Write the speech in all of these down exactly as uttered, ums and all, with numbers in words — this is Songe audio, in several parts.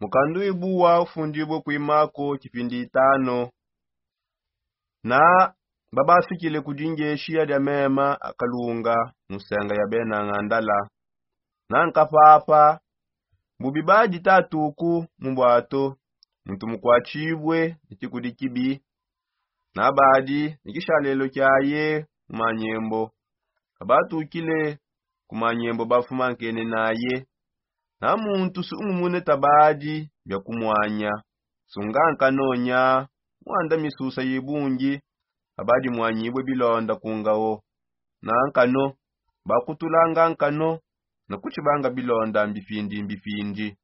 Mukandu ibuwa ufundibue kuimako kipindi itano. Na babafikile ku dingeshiya dia mema akalunga mu nsenga ya bena ngandala. Na nkapapa bubi badi tatuku mu bwato, muntu mukwatshibue ne tshikudi kibi. Na badi ne kishalelo kiaye mu manyembo. Abatukile ku manyembo bafuma nkene naye. Na muntu sungumune tabadi bia kumwanya. Sunga nkanonya, mwanda misusa yibungi. Abadi mwanyibue bilonda ku ngao. Na nkano bakutulanga nkano na kutshibanga bilonda mbipindi mbipindi.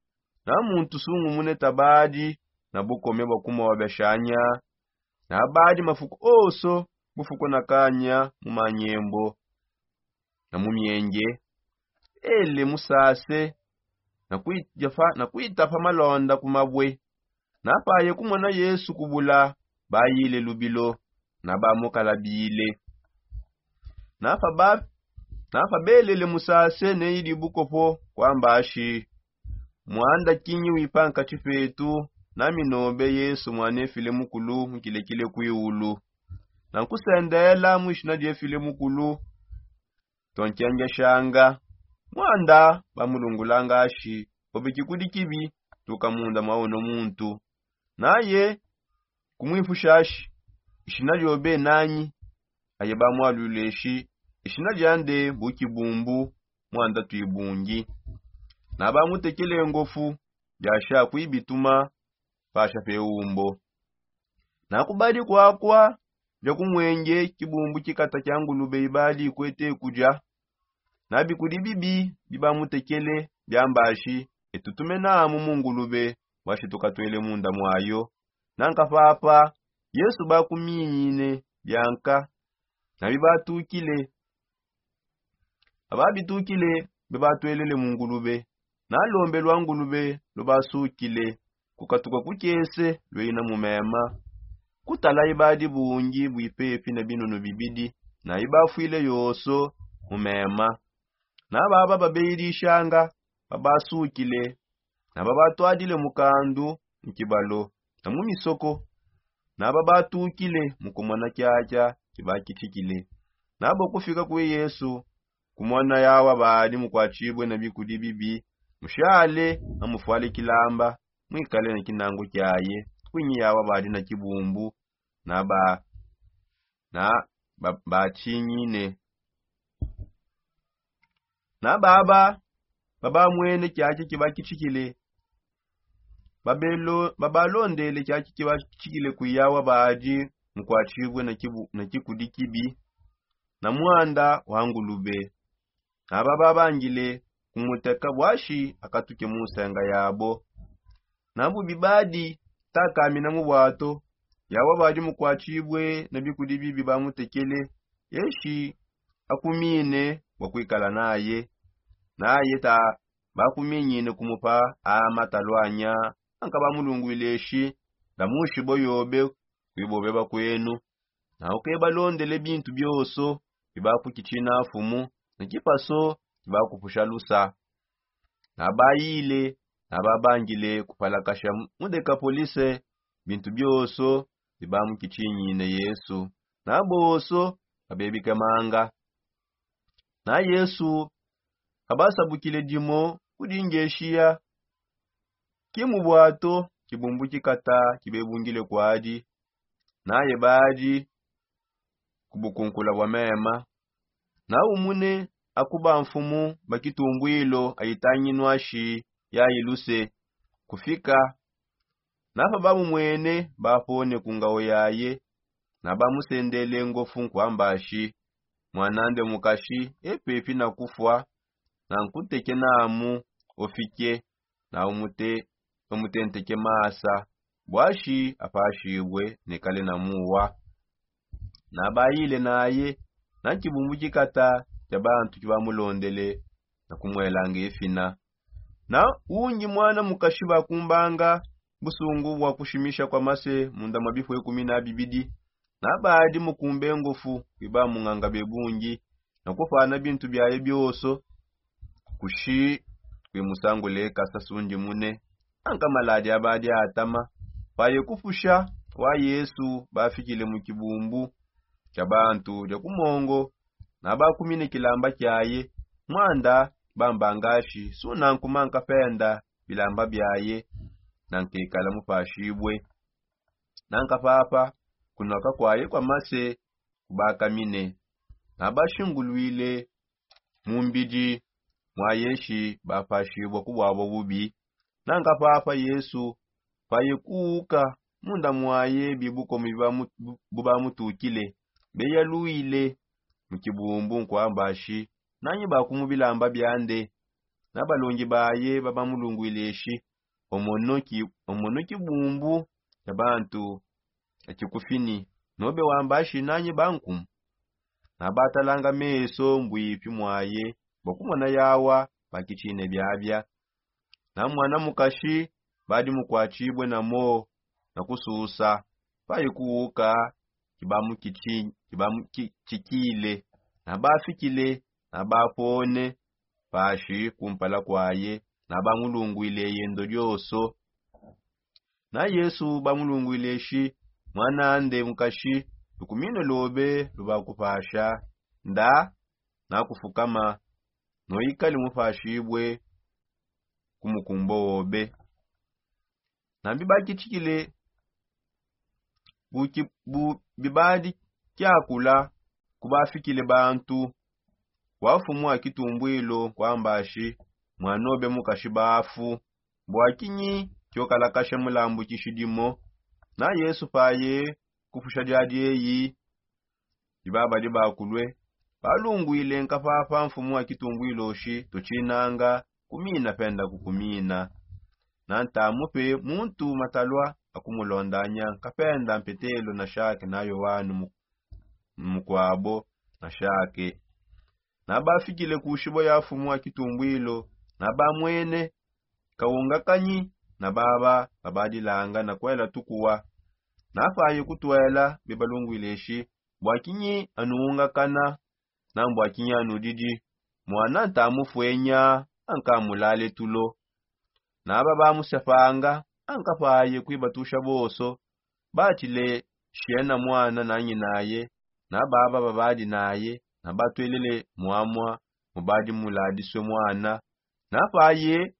Na muntu sungumune tabadi na bukome bua kumobeshanya. Na badi mafuku oso bufuku na kanya mu manyembo na mu mienge. Ele musase na kuitafa na kuitafa malonda ku mabue. Na paye kumona yesu kubula, bayile lubilo na bamukalabile. Na pa ba na pa belele musase ne idi bukopo kwamba ashi, mwanda kinyi wipa nkatshi petu? Na minobe yesu mwanefile mukulu mukilekile kwiulu. Na nkusendela mu ishina diefile mukulu, tonkengeshanga. Mwanda bamulungulanga ashi, obe kikudi kibi, tuka munda mwa uno muntu. Naye kumwipusha ashi, ishina diobe nanyi? Aye bamwalwile eshi, ishina diande bu kibumbu, mwanda twibungi. Na bamutekele ngofu, biasha kuibituma pasha pe umbo. Na kubadi kwakwa bia kumwenge kibumbu kikata kia ngulube ibadi ikwete kudia. Na bikudi bibi bibamutekele biambashi, etutume namu mu ngulube, bwashi tukatwele munda mwayo. Na nkapapa yesu bakuminyine bianka na bibatukile. Ababitukile bebatwelele mu ngulube. Na lombe lwa ngulube lubasukile kukatuka ku kiese lweina mu mema. Kutala ibadi bungi buipepi ne binunu bibidi, na ibafwile yoso mu mema. Na baba babeyidishanga babasukile, na babatwadile mukandu mu kibalo na mu misoko. Na babatukile mu kumona kiakia kibakitshikile. Na bo kufika kue yesu, kumona yawa badi mukwatshibue ne bikudi bibi, mushale amufwale kilamba, mwikale ne kinangu kiaye. Kuinyi yawa badi ne kibumbu na ba na ba batshinyine. Na baba babamwene kiaki kibakitshikile, babalondele kiaki kibakitshikile kuyawa badi mukwatshibue na kikudi kibi na mwanda wa ngulube. Na bababangile kumuteka bwashi akatuke mu nsenga yabo. Na bubi badi takamina mu bwato, yawa badi mukwatshibue ne bikudi bibi bamutekele, eshi akumine bua kuikala naye. Naye ta bakuminyine kumupa a matalwanya, anka bamulungwile eshi, ndamushibua yobe kuibobe bakuenu. Na ukebalondele bintu bioso bibakukitshina mfumu, ne kipaso kibakupusha lusa. Na bayile na babangile kupalakasha mu dekapolise bintu bioso bibamukitshinyine yesu. Na boso babebike manga. Na yesu abasabukile dimo kudi ngeshiya ki mu bwato, kibumbu kikata kibebungile kuadi. Naye badi ku bukunkula bua mema. Na umune akuba mfumu ba kitumbuilo ayitanginua shi yayi luse kufika. Na pa bamumwene bapone ku ngao yaye. Na bamusendele ngofu nkuamba shi, mwanande mukashi epepi na kufua. Na nkuteke namu ofike na umute bamutenteke masa, bwashi apashibue ne kale na muwa. Na bayile naye na nkibumbu kikata kia bantu kibamulondele na kumuelanga efina. Na ungi mwana mukashi bakumbanga busungu bua kushimisha kua mase munda mua bifue kumi na bibidi. Na badi mukumbe ngofu kuiba munganga bebungi na kupana bintu biaye bioso kushi kuimusangule kasa sundi mune. Nanka maladi abadi atama. Paye kupusha wa yesu bafikile mu kibumbu kia bantu dia kumongo, na bakumine kilamba kiaye. Mwanda bambangashi suna nkuma nkapenda bilamba biaye, na nkekala mupashibwe. Nanka papa kunoka kwaye kwa mase kubakamine, na bashingulwile mu mbidi mwaye shi bapashibwa ku bwabo bubi. Nanka papa yesu paye kuuka munda mwaye bibukomo bibamu- bu- bubamutukile, beyalwile mu kibumbu nkwamba shi nanyi bakumu bilamba biande. Na balongi baye babamulungwile shi omono ki- omono kibumbu kia bantu akikufini, nobe wamba shi nanyi bankumu. Na batalanga meso mbwipi mwaye bua kumona yawa bakitshine biabia. Na mwana mukashi badi mukuatshibue na moo na kususa paye kuuka kibamukitshikile. Na bafikile na bapone pashi kumpala kuaye, na bamulungwile yendo dioso. Na yesu bamulungwile shi mwanande mukashi, lukumine lobe lubakupasha nda nakufukama, noikale mupashibue ku mukumbo wobe. Na mbibakitshikile buki- bu- bibadi kiakula kubafikile bantu wa fumu wa kitumbwilo kwambashi, mwanobe mukashi bafu, bua kinyi kiokalakasha mulambukishi dimo? Na yesu paye kupusha dia dieyi dibabadi bakulue, balungwile nkapapa mfumu wa kitumbwilo shi tutshinanga kumina penda kukumina. Na ntamupe muntu matalua akumulondanya nkapenda mpetelo na shake na yoanu mu- mukuabo na shake. Na bafikile ku shibua ya fumu wa kitumbwilo, na bamwene kaungakanyi na baba babadilanga na kuela tukuwa. Na paye kutuela bebalungwile shi bua kinyi anu ungakana? Na mbua kinyi anudidi? Mwana ntamufuenya ankamulale tulo. Naba bamusepanga ankapaye kuibatusha bonso. Batshile shiena mwana na nyinaye na baba babadi naye, na batuelele muamua mubadi muladisue mwana. Na paye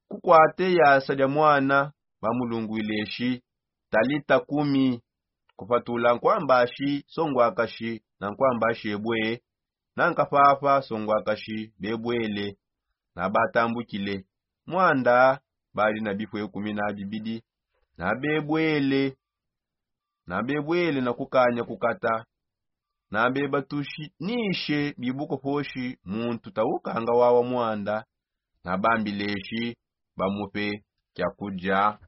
kukuate yasa dia mwana, bamulungwile shi, talita kumi, kupatula nkuambashi songwakashi na nkuambashi ebue. Na nkapapa songwakashi bebuele. Na batambukile mwanda badi na bipue kumi na bibidi. Na bebuele na bebuele na kukanya kukata. Na bebatushi nishe bibuko poshi muntu taukanga wawa mwanda. Na bambileshi bamupe kiakudia.